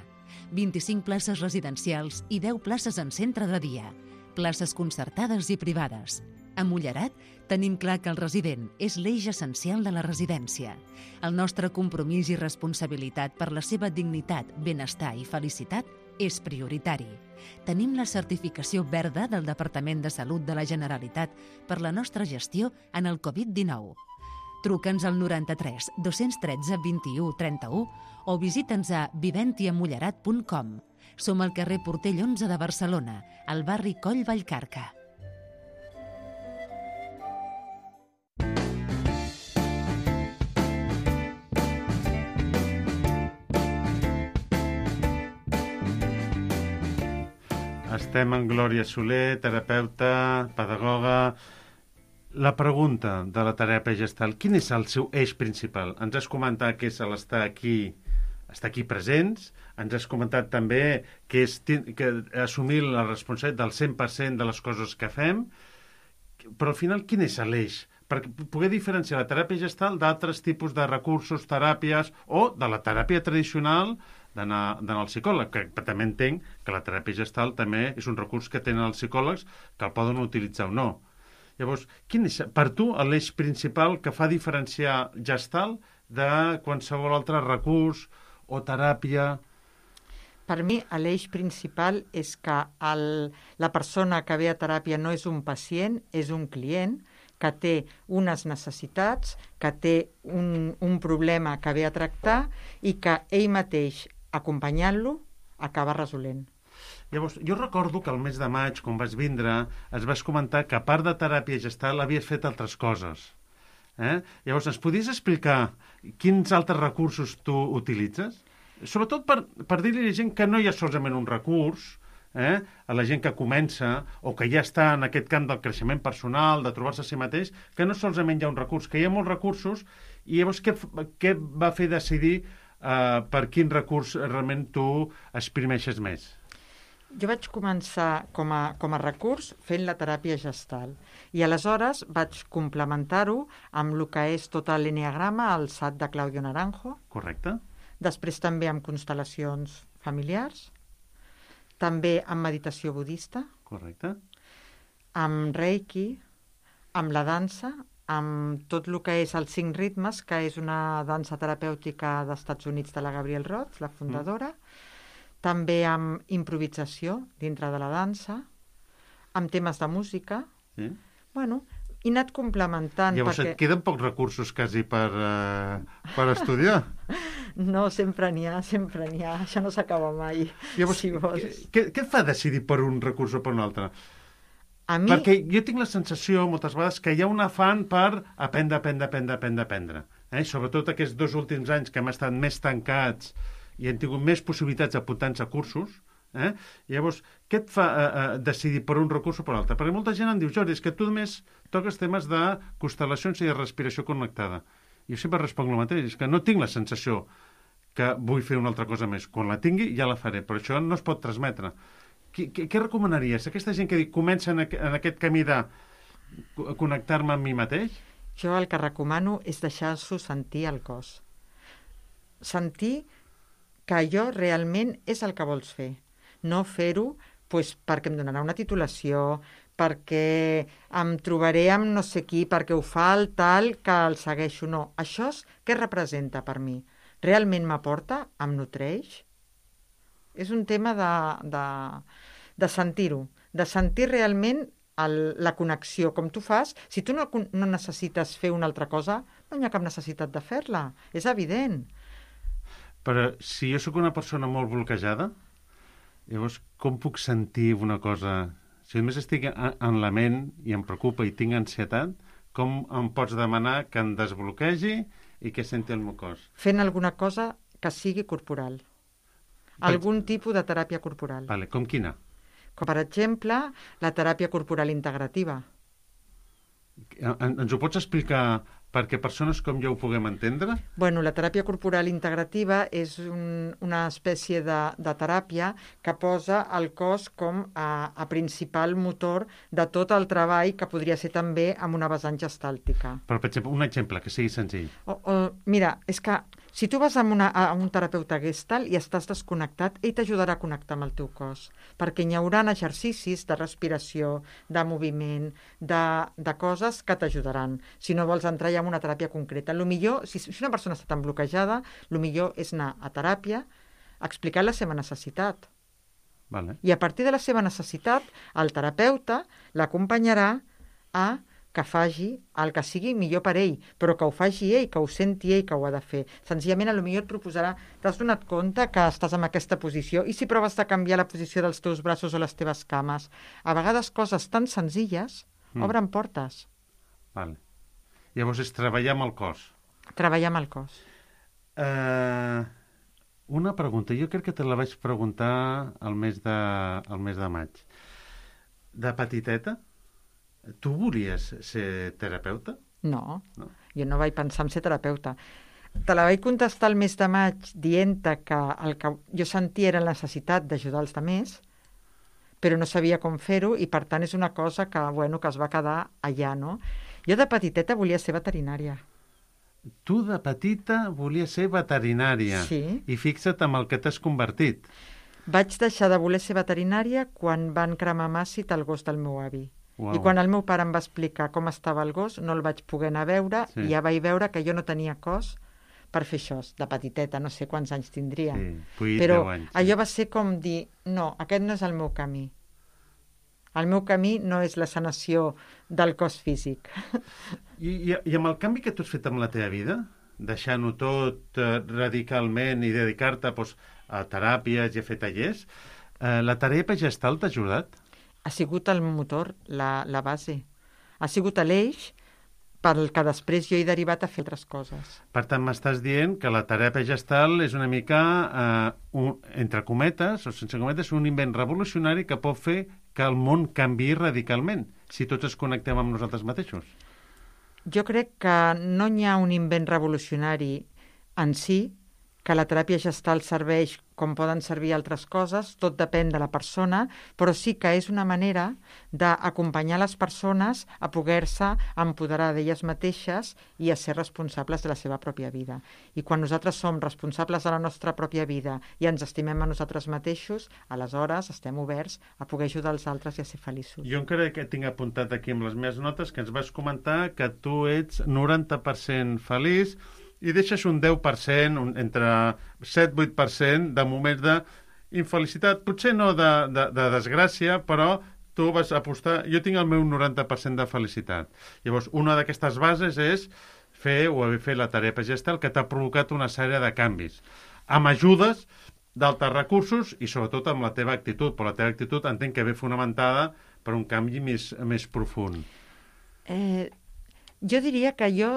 vint-i-cinc places residencials i deu places en centre de dia. Places concertades i privades. A Mullerat tenim clar que el resident és l'eix essencial de la residència. El nostre compromís i responsabilitat per la seva dignitat, benestar i felicitat és prioritari. Tenim la certificació verda del Departament de Salut de la Generalitat per la nostra gestió en el covid dinou. Truca'ns al noranta-tres dos-cents tretze vint-i-u trenta-u o visita'ns a viventiamullerat punt com. Som al carrer Portell onze de Barcelona, al barri Coll Vallcarca. Estem amb Glòria Soler, terapeuta, pedagoga. La pregunta de la teràpia gestal, quin és el seu eix principal? Ens has comentat que és l'estar aquí, estar aquí presents, ens has comentat també que és que assumir la responsabilitat del cent per cent de les coses que fem, però al final quin és l'eix? Per poder diferenciar la teràpia gestal d'altres tipus de recursos, teràpies o de la teràpia tradicional d'anar al psicòleg, que també entenc que la teràpia gestal també és un recurs que tenen els psicòlegs que el poden utilitzar o no. Llavors, quin és per tu l'eix principal que fa diferenciar gestal de qualsevol altre recurs o teràpia? Per mi, l'eix principal és que el, la persona que ve a teràpia no és un pacient, és un client que té unes necessitats, que té un, un problema que ve a tractar i que ell mateix, acompanyant-lo, acaba resolent. Llavors, jo recordo que el mes de maig, quan vas vindre, es vas comentar que a part de teràpia gestal havies fet altres coses. Eh? Llavors, ens podies explicar quins altres recursos tu utilitzes? Sobretot per, per dir-li a la gent que no hi ha solament un recurs, eh? a la gent que comença o que ja està en aquest camp del creixement personal, de trobar-se a si mateix, que no solament hi ha un recurs, que hi ha molts recursos, i llavors què, què va fer decidir eh, per quin recurs realment tu exprimeixes més? Jo vaig començar com a, com a recurs fent la teràpia gestal i aleshores vaig complementar-ho amb el que és tot l'enneagrama, el S A T de Claudio Naranjo. Correcte. Després també amb constel·lacions familiars, també amb meditació budista. Correcte. Amb reiki, amb la dansa, amb tot el que és els cinc ritmes, que és una dansa terapèutica dels Estats Units de la Gabrielle Roth, la fundadora. Mm. També amb improvisació dintre de la dansa, amb temes de música. Sí. Bueno, he anat complementant. Llavors perquè... et queden pocs recursos quasi per, uh, per estudiar. No, sempre n'hi ha, sempre n'hi ha. Això no s'acaba mai. Llavors, si vols. Què, què et fa decidir per un recurs o per un altre? A mi... Perquè jo tinc la sensació, moltes vegades, que hi ha un afany per aprendre, aprendre, aprendre, aprendre, aprendre. Eh? Sobretot aquests dos últims anys que hem estat més tancats i hem tingut més possibilitats d'apuntar-nos a cursos, eh? Llavors, què et fa eh, eh, decidir per un recurs o per un altre? Perquè molta gent em diu, Jordi, és que tu només toques temes de constel·lacions i de respiració connectada. I jo sempre responc el mateix, és que no tinc la sensació que vull fer una altra cosa més. Quan la tingui, ja la faré, però això no es pot transmetre. Què, què, què recomanaries? Aquesta gent que dic, comença en, en aquest camí de connectar-me amb mi mateix? Jo el que recomano és deixar-s'ho sentir al cos. Sentir que allò realment és el que vols fer. No fer-ho pues, perquè em donarà una titulació, perquè em trobaré amb no sé qui, perquè ho fa el tal que el segueixo. No, això és què representa per mi? Realment m'aporta? Em nutreix? És un tema de, de, de sentir-ho, de sentir realment el, la connexió, com tu fas. Si tu no, no necessites fer una altra cosa, no hi ha cap necessitat de fer-la. És evident. Però si jo sóc una persona molt bloquejada, llavors com puc sentir una cosa? Si només estic en la ment i em preocupa i tinc ansietat, com em pots demanar que em desbloquegi i que senti el meu cos? Fent alguna cosa que sigui corporal. Algun tipus de teràpia corporal. Vale, com quina? Com per exemple, la teràpia corporal integrativa. Ens ho pots explicar perquè persones com jo ho puguem entendre? Bueno, la teràpia corporal integrativa és un, una espècie de, de teràpia que posa el cos com a, a principal motor de tot el treball que podria ser també amb una vessant gestàltica. Però, per exemple, un exemple que sigui senzill. O, o, mira, és que Si tu vas amb una, a un terapeuta Gestalt i estàs desconnectat, ell t'ajudarà a connectar amb el teu cos, perquè hi haurà exercicis de respiració, de moviment, de, de coses que t'ajudaran. Si no vols entrar ja en una teràpia concreta. Lo millor, si, si una persona està tan bloquejada, el millor és anar a teràpia, explicar la seva necessitat. Vale. I a partir de la seva necessitat, el terapeuta l'acompanyarà a que faci el que sigui millor per ell, però que ho faci ell, que ho senti ell, que ho ha de fer. Senzillament, potser et proposarà, t'has donat compte que estàs en aquesta posició, i si proves de canviar la posició dels teus braços o les teves cames? A vegades coses tan senzilles mm. obren portes. Vale. Llavors és treballar amb el cos. Treballar amb el cos. Uh, una pregunta, jo crec que te la vaig preguntar al mes de, al mes de maig. De petiteta, tu volies ser terapeuta? No, no, jo no vaig pensar en ser terapeuta. Te la vaig contestar el mes de maig dient-te que el que jo sentia era la necessitat d'ajudar els altres, però no sabia com fer-ho i per tant és una cosa que, bueno, que es va quedar allà, no? Jo de petiteta volia ser veterinària. Tu de petita volies ser veterinària. Sí. I fixa't amb el que t'has convertit. Vaig deixar de voler ser veterinària quan van cremar Màcit el gos del meu avi. Wow. I quan el meu pare em va explicar com estava el gos, no el vaig poder anar a veure, sí. I ja vaig veure que jo no tenia cos per fer això, de petiteta, no sé quants anys tindria. Sí, vuit, però deu anys, sí. Allò va ser com dir, no, aquest no és el meu camí. El meu camí no és la sanació del cos físic. I, i, i amb el canvi que tu has fet amb la teva vida, deixant-ho tot eh, radicalment i dedicar-te doncs, a teràpies i a fer tallers, eh, la teràpia gestal t'ha ajudat? Ha sigut el motor, la, la base. Ha sigut l'eix pel que després jo he derivat a fer altres coses. Per tant, m'estàs dient que la teràpia gestal és una mica, eh, un, entre cometes, o sense cometes, un invent revolucionari que pot fer que el món canviï radicalment, si tots ens connectem amb nosaltres mateixos. Jo crec que no hi ha un invent revolucionari en si, que la teràpia gestal serveix com poden servir altres coses, tot depèn de la persona, però sí que és una manera d'acompanyar les persones a poder-se empoderar d'elles mateixes i a ser responsables de la seva pròpia vida. I quan nosaltres som responsables de la nostra pròpia vida i ens estimem a nosaltres mateixos, aleshores estem oberts a poder ajudar els altres i a ser feliços. Jo encara que tinc apuntat aquí amb les meves notes que ens vas comentar que tu ets noranta per cent feliç i deixes un deu per cent, un, entre set a vuit per cent de moments d'infelicitat, potser no de, de, de desgràcia, però tu vas apostar... Jo tinc el meu noranta per cent de felicitat. Llavors, una d'aquestes bases és fer o haver fet la teràpia gestal que t'ha provocat una sèrie de canvis, amb ajudes d'altres recursos i sobretot amb la teva actitud, però la teva actitud entenc que ve fonamentada per un canvi més, més profund. Eh, jo diria que jo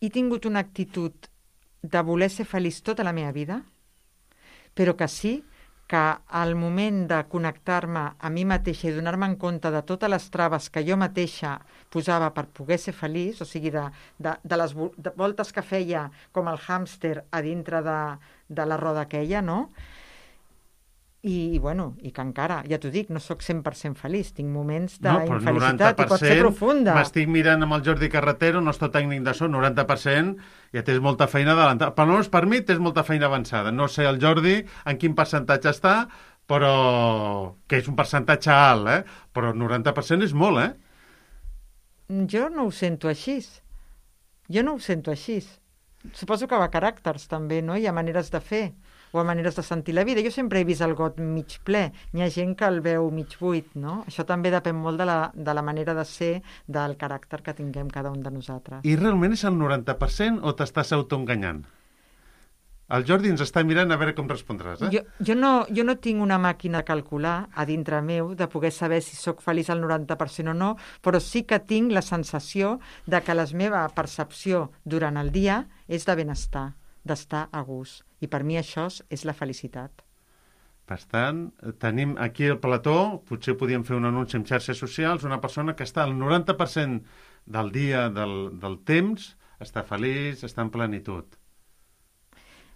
he tingut una actitud de voler ser feliç tota la meva vida, però que sí que al moment de connectar-me a mi mateixa i donar-me en compte de totes les traves que jo mateixa posava per poder ser feliç, o sigui, de, de, de les de voltes que feia com el hàmster a dintre de, de la roda aquella, no? I, bueno, i que encara, ja t'ho dic, no sóc cent per cent feliç, tinc moments d'infelicitat no, i pot ser profunda. M'estic mirant amb el Jordi Carretero, nostre tècnic de so, noranta per cent, ja tens molta feina adelantada. Per almenys per mi tens molta feina avançada. No sé el Jordi en quin percentatge està, però que és un percentatge alt, eh? Però noranta per cent és molt, eh? Jo no ho sento així. Jo no ho sento així. Suposo que va a caràcters també, no? Hi ha maneres de fer o a maneres de sentir la vida. Jo sempre he vist el got mig ple. Hi ha gent que el veu mig buit, no? Això també depèn molt de la, de la manera de ser, del caràcter que tinguem cada un de nosaltres. I realment és el noranta per cent o t'estàs autoenganyant? El Jordi ens està mirant a veure com respondràs, eh? Jo, jo, no, jo no tinc una màquina de calcular a dintre meu de poder saber si sóc feliç al noranta per cent o no, però sí que tinc la sensació de que la meva percepció durant el dia és de benestar, d'estar a gust. I per mi això és la felicitat. Per tant, tenim aquí el plató, potser podíem fer un anunci en xarxes socials, una persona que està al noranta per cent del dia, del, del temps, està feliç, està en plenitud.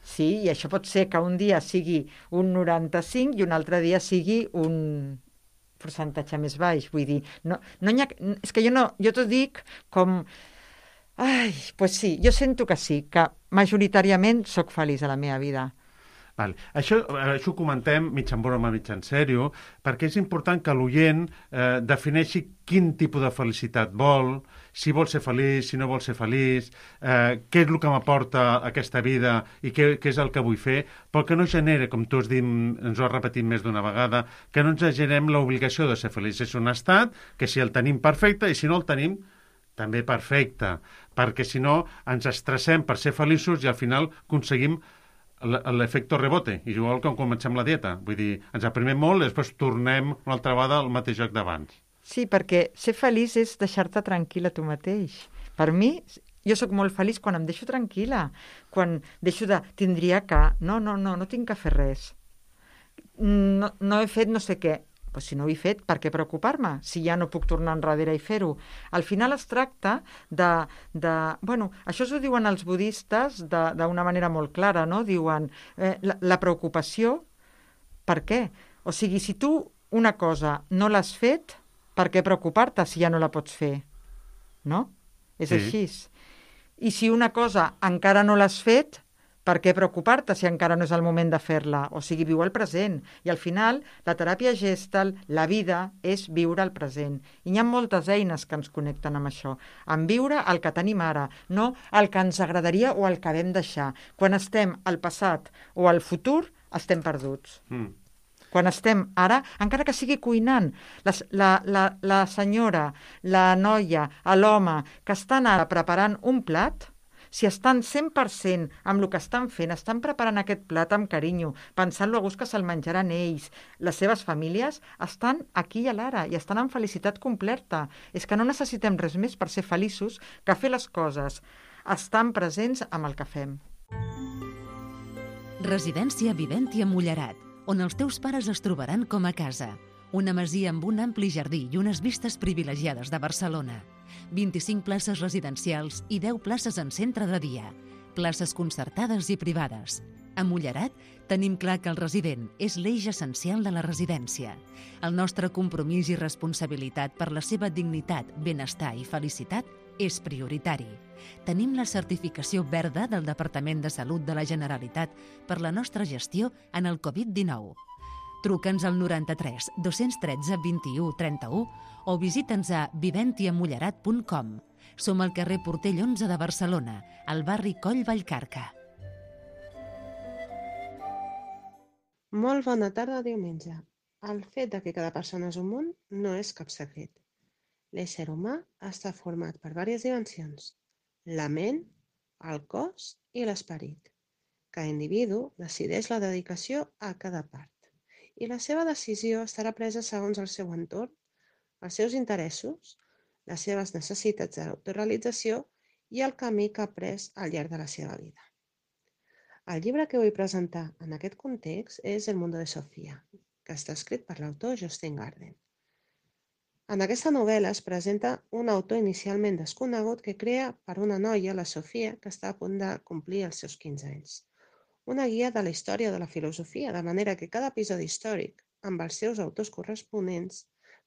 Sí, i això pot ser que un dia sigui un noranta-cinc i un altre dia sigui un percentatge més baix. Vull dir, no, no hi ha, és que jo no, jo t'ho dic com Ai, pues sí, jo sento que sí, que majoritàriament sóc feliç a la meva vida. Vale. Això, això ho comentem mig en broma, mig en sèrio, perquè és important que l'oient eh, defineixi quin tipus de felicitat vol, si vol ser feliç, si no vol ser feliç, eh, què és el que m'aporta aquesta vida i què, què és el que vull fer, però que no genere, com tu has dit, ens ho has repetit més d'una vegada, que no ens generem l'obligació de ser feliç. És un estat que si el tenim perfecte i si no el tenim també perfecte, perquè si no ens estressem per ser feliços i al final aconseguim l'efecte rebote, igual com comencem la dieta. Vull dir, ens aprimem molt i després tornem una altra vegada al mateix joc d'abans. Sí, perquè ser feliç és deixar-te tranquil·la tu mateix. Per mi, jo sóc molt feliç quan em deixo tranquil·la, quan deixo de tindria que... No, no, no, no tinc que fer res. No, no he fet no sé què. Pues si no ho he fet, per què preocupar-me? Si ja no puc tornar enrere i fer-ho. Al final es tracta de... de bueno, això s'ho diuen els budistes d'una manera molt clara, no? Diuen eh, la, la preocupació, per què? O sigui, si tu una cosa no l'has fet, per què preocupar-te si ja no la pots fer? No? És Sí. així. I si una cosa encara no l'has fet, per què preocupar-te si encara no és el moment de fer-la? O sigui, viu el present. I al final, la teràpia Gestalt, la vida, és viure el present. I hi ha moltes eines que ens connecten amb això. Amb viure el que tenim ara, no el que ens agradaria o el que vam deixar. Quan estem al passat o al futur, estem perduts. Mm. Quan estem ara, encara que sigui cuinant, la, la, la, la senyora, la noia, l'home que estan ara preparant un plat, si estan cent per cent amb el que estan fent, estan preparant aquest plat amb carinyo, pensant-lo a gust que se'l menjaran ells, les seves famílies, estan aquí i a l'ara i estan en felicitat completa. És que no necessitem res més per ser feliços que fer les coses, estan presents amb el que fem. Residència Viventia Mullerat, on els teus pares es trobaran com a casa. Una masia amb un ampli jardí i unes vistes privilegiades de Barcelona. vint-i-cinc places residencials i deu places en centre de dia. Places concertades i privades. A Mullerat tenim clar que el resident és l'eix essencial de la residència. El nostre compromís i responsabilitat per la seva dignitat, benestar i felicitat és prioritari. Tenim la certificació verda del Departament de Salut de la Generalitat per la nostra gestió en el covid dinou. Truca'ns al noranta-tres dos-cents tretze vint-i-u trenta-u o visita'ns a viventiamullerat punt com. Som al carrer Portell onze de Barcelona, al barri Coll Vallcarca. Molt bona tarda, diumenge. El fet de que cada persona és un món no és cap secret. L'ésser humà està format per diverses dimensions: la ment, el cos i l'esperit. Cada individu decideix la dedicació a cada part i la seva decisió estarà presa segons el seu entorn, els seus interessos, les seves necessitats d'autorealització i el camí que ha pres al llarg de la seva vida. El llibre que vull presentar en aquest context és El mundo de Sofía, que està escrit per l'autor Jostein Gaarden. En aquesta novel·la es presenta un autor inicialment desconegut que crea per una noia, la Sofía, que està a punt de complir els seus quinze anys. Una guia de la història de la filosofia, de manera que cada episodi històric, amb els seus autors corresponents,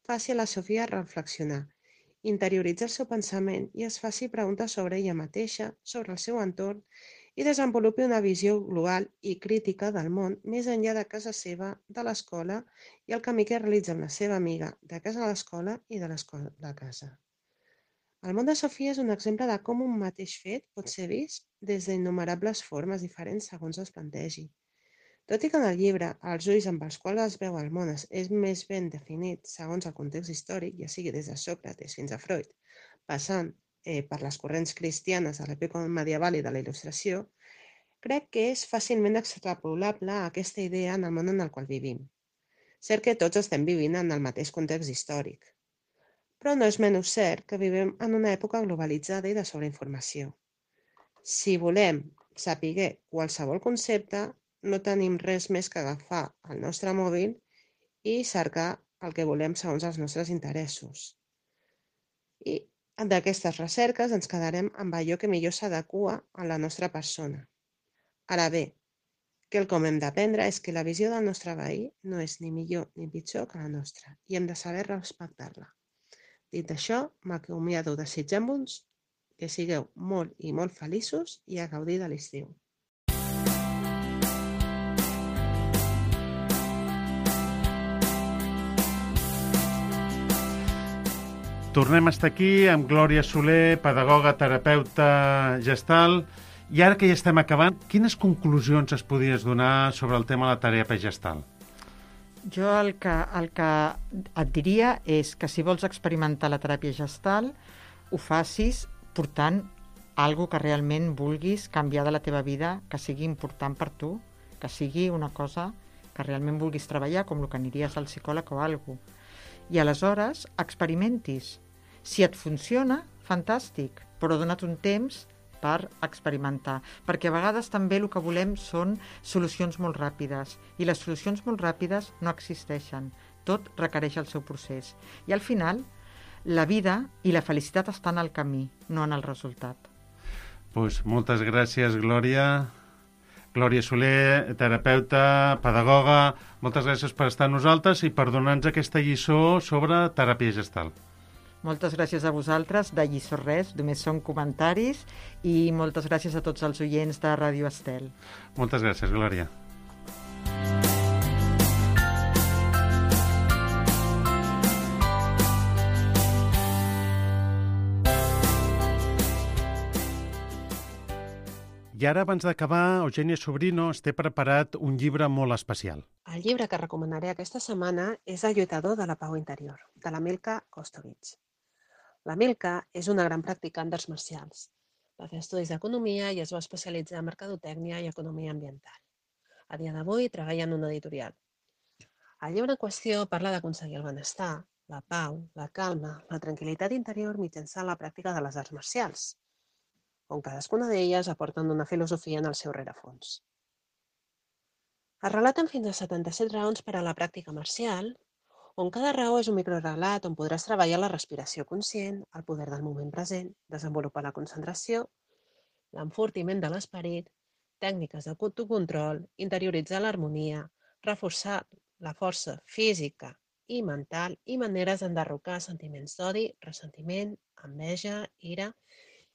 faci a la Sofía reflexionar, interioritzar el seu pensament i es faci preguntes sobre ella mateixa, sobre el seu entorn i desenvolupi una visió global i crítica del món més enllà de casa seva, de l'escola i el camí que realitza amb la seva amiga de casa a l'escola i de l'escola a casa. El món de Sofía és un exemple de com un mateix fet pot ser vist des d'innomerables formes diferents segons es plantegi. Tot i que en el llibre els ulls amb els quals es veu el món és més ben definit segons el context històric, ja sigui des de Sòcrates fins a Freud, passant eh, per les corrents cristianes de l'època medieval i de la Il·lustració, crec que és fàcilment extrapolable a aquesta idea en el món en el qual vivim. Cert que tots estem vivint en el mateix context històric, però no és menys cert que vivim en una època globalitzada i de sobreinformació. Si volem saber qualsevol concepte, no tenim res més que agafar el nostre mòbil i cercar el que volem segons els nostres interessos. I d'aquestes recerques ens quedarem amb allò que millor s'adequa a la nostra persona. Ara bé, quelcom hem d'aprendre és que la visió del nostre veí no és ni millor ni pitjor que la nostra i hem de saber respectar-la. Dit això, m'acomiado desitjant-vos que sigueu molt i molt feliços i a gaudir de l'estiu. Tornem a estar aquí amb Glòria Soler, pedagoga, terapeuta gestal. I ara que ja estem acabant, quines conclusions es podies donar sobre el tema de la teràpia gestal? Jo el que, el que et diria és que si vols experimentar la teràpia gestal, ho facis portant algo que realment vulguis canviar de la teva vida, que sigui important per tu, que sigui una cosa que realment vulguis treballar, com el que aniries al psicòleg o alguna cosa. I aleshores experimentis. Si et funciona, fantàstic, però dona't un temps per experimentar, perquè a vegades també el que volem són solucions molt ràpides, i les solucions molt ràpides no existeixen. Tot requereix el seu procés. I al final, la vida i la felicitat estan al camí, no en el resultat. Pues moltes gràcies, Glòria. Glòria Soler, terapeuta, pedagoga, moltes gràcies per estar amb nosaltres i per donar-nos aquesta lliçó sobre teràpia gestal. Moltes gràcies a vosaltres, de lliçó res, només són comentaris, i moltes gràcies a tots els oients de Ràdio Estel. Moltes gràcies, Glòria. I ara, abans d'acabar, Eugènia Sobrino es té preparat un llibre molt especial. El llibre que recomanaré aquesta setmana és El lluitador de la pau interior, de la Milka Kostovich. La Milka és una gran practicant d'arts marcials. Va fer estudis d'economia i es va especialitzar en mercadotècnia i economia ambiental. A dia d'avui treballa en una editorial. El llibre en qüestió parla d'aconseguir el benestar, la pau, la calma, la tranquil·litat interior mitjançant la pràctica de les arts marcials, on cadascuna d'elles aporten una filosofia en el seu rerefons. Es relaten fins a setanta-set raons per a la pràctica marcial, on cada raó és un microrelat on podràs treballar la respiració conscient, el poder del moment present, desenvolupar la concentració, l'enfortiment de l'esperit, tècniques d'autocontrol, interioritzar l'harmonia, reforçar la força física i mental i maneres d'enderrocar sentiments d'odi, ressentiment, enveja, ira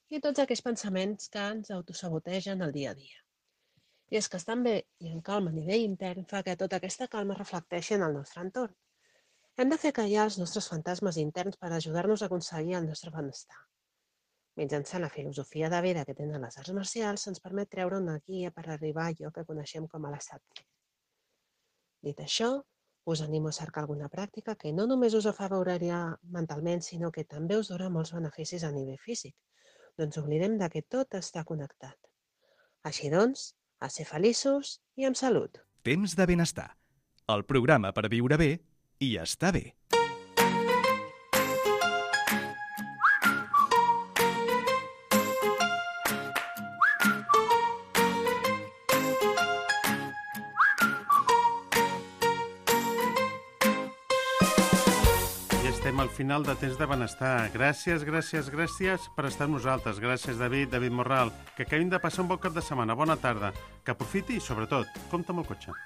i tots aquells pensaments que ens autosabotegen el dia a dia. I és que estar bé i en calma a nivell intern fa que tota aquesta calma reflecteixi en el nostre entorn. Hem de fer callar els nostres fantasmes interns per ajudar-nos a aconseguir el nostre benestar. Mitjançant la filosofia de vida que tenen les arts marcials, ens permet treure una guia per arribar a allò que coneixem com a l'estat pur. Dit això, us animo a cercar alguna pràctica que no només us afavorirà mentalment, sinó que també us donarà molts beneficis a nivell físic. No ens oblidem de que tot està connectat. Així doncs, a ser feliços i amb salut. Temps de benestar. El programa per viure bé i estar bé. Estem al final de Temps de Benestar. Gràcies, gràcies, gràcies per estar amb nosaltres. Gràcies, David, David Morral. Que acabin de passar un bon cap de setmana. Bona tarda. Que aprofiti i, sobretot, compta amb el cotxe.